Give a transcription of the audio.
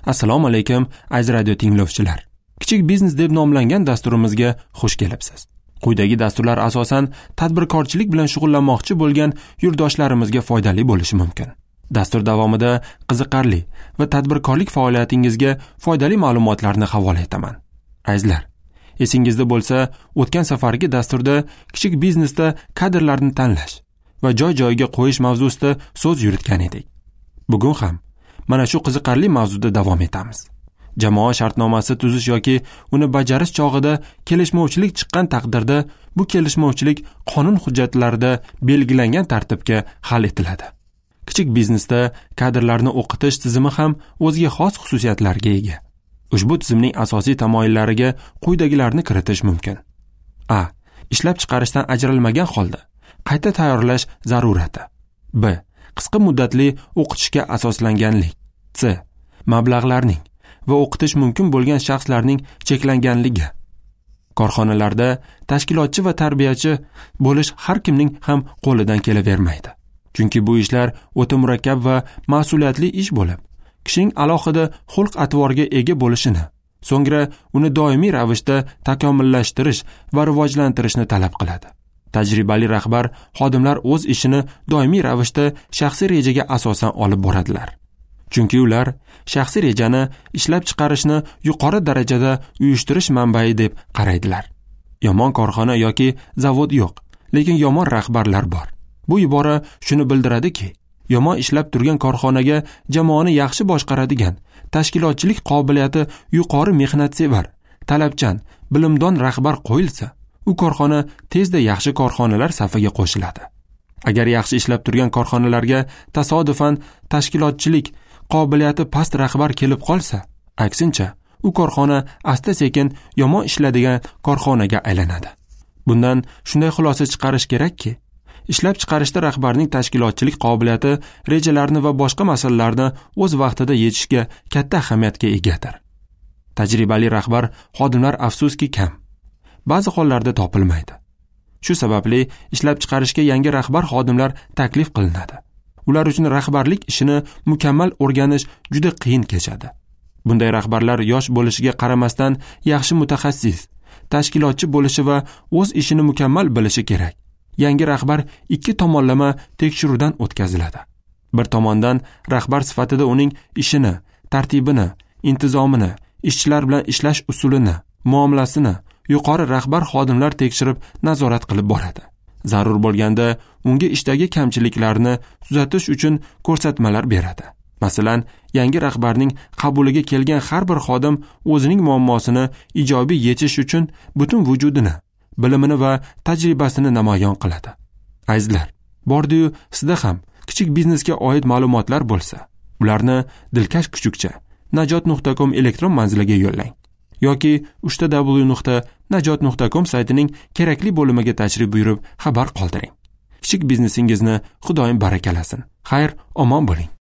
Assalomu alaykum, aziz radio tinglovchilar. Kichik biznes deb nomlangan dasturimizga xush kelibsiz. Quyidagi dasturlar asosan tadbirkorchilik bilan shug'ullanmoqchi bo'lgan yurtdoshlarimizga foydali bo'lishi mumkin. Dastur davomida qiziqarli va tadbirkorlik faoliyatingizga foydali ma'lumotlarni havola etaman. Azizlar, esingizda bo'lsa, o'tgan safargi dasturda kichik biznesda kadrlarni tanlash va joy-joyiga qo'yish mavzusida so'z yuritgan edik. Bugun ham mana shu qiziqarli mavzuda davom etamiz. Jamoa shartnomasi tuzish yoki uni bajarish chog'ida kelishmovchilik chiqqan taqdirda bu kelishmovchilik qonun hujjatlarida belgilangan tartibga hal etiladi. Kichik biznesda kadrlarni o'qitish tizimi ham o'ziga xos xususiyatlarga ega. Ushbu tizimning asosiy tamoyillariga quyidagilarni kiritish mumkin. A. Ishlab chiqarishdan ajralmagan holda qayta tayyorlash zarurati. B. Qisqa muddatli o'qitishga asoslanganlik. C. Mablag'larning va o'qitish mumkin bo'lgan shaxslarning cheklanganligi. Korxonalarda tashkilotchi va tarbiyachi bo'lish har kimning ham qo'lidan kelavermaydi. Chunki bu ishlar o'ta murakkab va mas'uliyatli ish bo'lib, kishining alohida xulq-atvorga ega bo'lishini, so'ngra uni doimiy ravishda takomillashtirish va rivojlantirishni talab qiladi. Tajribali rahbar xodimlar o'z ishini doimiy ravishda shaxsiy rejaga asosan olib boradilar. Chunki ular shaxsiy rejani ishlab chiqarishni yuqori darajada uyushtirish manbai deb qaraydilar. Yomon korxona yoki zavod yo'q, lekin yomon rahbarlar bor. Bu ibora shuni bildiradiki, yomon ishlab turgan korxonaga jamoani yaxshi boshqaradigan, tashkilotchilik qobiliyati yuqori mehnatsevar, talabchan, bilimdon rahbar qo'yilsa, u korxona tezda yaxshi korxonalar safiga qo'shiladi. Agar yaxshi ishlab turgan korxonalarga tasodifan tashkilotchilik qobiliyati past rahbar kelib qolsa, aksincha, u korxona asta-sekin yomon ishladigan korxonaga aylanadi. Bundan shunday xulosa chiqarish kerakki, ishlab chiqarishda rahbarning tashkilotchilik qobiliyati rejalarni va boshqa masalalarni o'z vaqtida yechishga katta ahamiyatga egadir. Tajribali rahbar xodimlar afsuski kam. Ba'zi hollarda topilmaydi. Shu sababli ishlab chiqarishga yangi rahbar xodimlar taklif qilinadi. Ular uchun rahbarlik ishini mukammal o'rganish juda qiyin kechadi. Bunday rahbarlar yosh bo'lishiga qaramasdan yaxshi mutaxassis, tashkilotchi bo'lishi va o'z ishini mukammal bilishi kerak. Yangi rahbar ikki tomonlama tekshiruvdan o'tkaziladi. Bir tomondan rahbar sifatida uning ishini, tartibini, intizomini, ishchilar bilan ishlash usulini, muomalasini yuqori rahbar xodimlar tekshirib nazorat qilib boradi. Zarur bo'lganda unga ishdagi kamchiliklarni tuzatish uchun ko'rsatmalar beradi. Masalan, yangi rahbarning qabuliga kelgan har bir xodim o'zining muammosini ijobiy yechish uchun butun vujudini, bilimini va tajribasini namoyon qiladi. Azizlar, bordi-yu sizda ham kichik biznesga oid ma'lumotlar bo'lsa, ularni dilkash kuchukcha najot.com elektron manziliga yo'llang yoki www.najot.com saytining kerakli bo'limiga tashrif buyurib xabar qoldiring. Kichik biznesingizni Xudoyim barakalasin. Xayr, omon bo'ling.